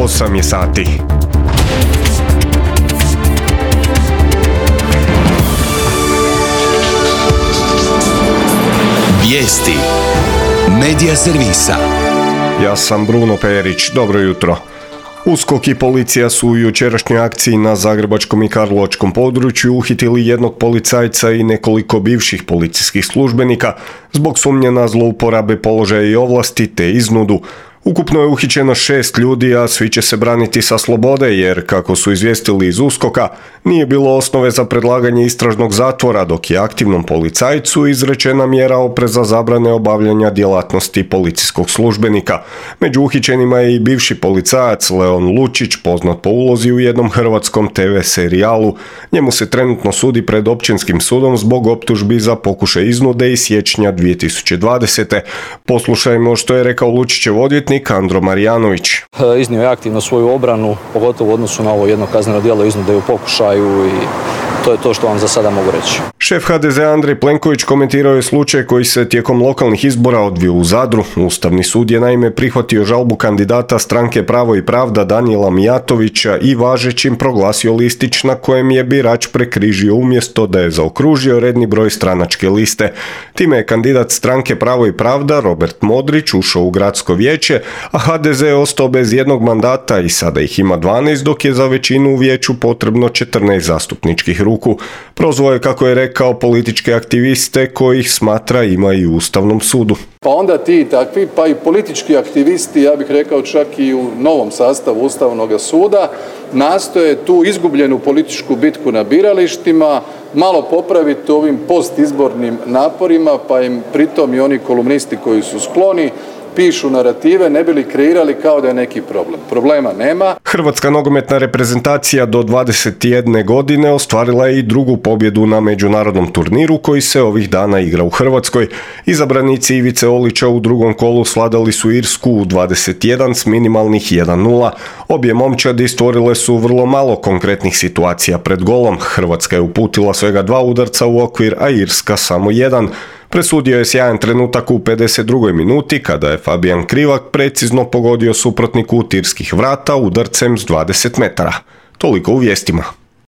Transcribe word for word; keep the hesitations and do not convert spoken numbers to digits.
osam je sati. Vijesti Medija servisa. Ja sam Bruno Perić, dobro jutro. USKOK i policija su u jučerašnjoj akciji na zagrebačkom i karlovačkom području uhitili jednog policajca i nekoliko bivših policijskih službenika zbog sumnje na zlouporabe položaja i ovlasti te iznudu. Ukupno je uhićeno šest ljudi, a svi će se braniti sa slobode jer, kako su izvijestili iz USKOK-a, nije bilo osnove za predlaganje istražnog zatvora, dok je aktivnom policajcu izrečena mjera opreza zabrane obavljanja djelatnosti policijskog službenika. Među uhićenima je i bivši policajac Leon Lučić, poznat po ulozi u jednom hrvatskom te ve serijalu. Njemu se trenutno sudi pred općinskim sudom zbog optužbi za pokušaj iznude iz siječnja dvije tisuće dvadesete. Poslušajmo što je rekao Lučićev odvjetnik Andro Marjanović. Iznio je aktivno svoju obranu, pogotovo u odnosu na ovo jedno kazneno djelo iznude u pokušaju i to je to što vam za sada mogu reći. Šef ha de zea Andrej Plenković komentirao je slučaj koji se tijekom lokalnih izbora odvio u Zadru. Ustavni sud je naime prihvatio žalbu kandidata stranke Pravo i pravda Danijela Mijatovića i važećim proglasio listić na kojem je birač prekrižio umjesto da je zaokružio redni broj stranačke liste. Time je kandidat stranke Pravo i pravda Robert Modrić ušao u gradsko vijeće, a ha de ze je ostao bez jednog mandata i sada ih ima dvanaest, dok je za većinu u vijeću potrebno četrnaest zastupničkih ruku. Prozvao je, kako je rekao, političke aktiviste kojih smatra ima i u Ustavnom sudu. Pa onda ti takvi, pa i politički aktivisti, ja bih rekao čak i u novom sastavu Ustavnog suda, nastoje tu izgubljenu političku bitku na biralištima malo popraviti ovim postizbornim naporima, pa im pritom i oni kolumnisti koji su skloni pišu narative ne bi li kreirali kao da je neki problem. Problema nema. Hrvatska nogometna reprezentacija do dvadeset jedne godine ostvarila je i drugu pobjedu na međunarodnom turniru koji se ovih dana igra u Hrvatskoj. Izabranici Ivice Olića u drugom kolu svladali su Irsku u dvadeset jedan s minimalnih jedan nula. Obje momčadi stvorile su vrlo malo konkretnih situacija pred golom. Hrvatska je uputila svega dva udarca u okvir, a Irska samo jedan. Presudio je sjajan trenutak u pedeset drugoj minuti kada je Fabijan Krivak precizno pogodio suprotniku u tirskih vrata udarcem s dvadeset metara. Toliko u vijestima.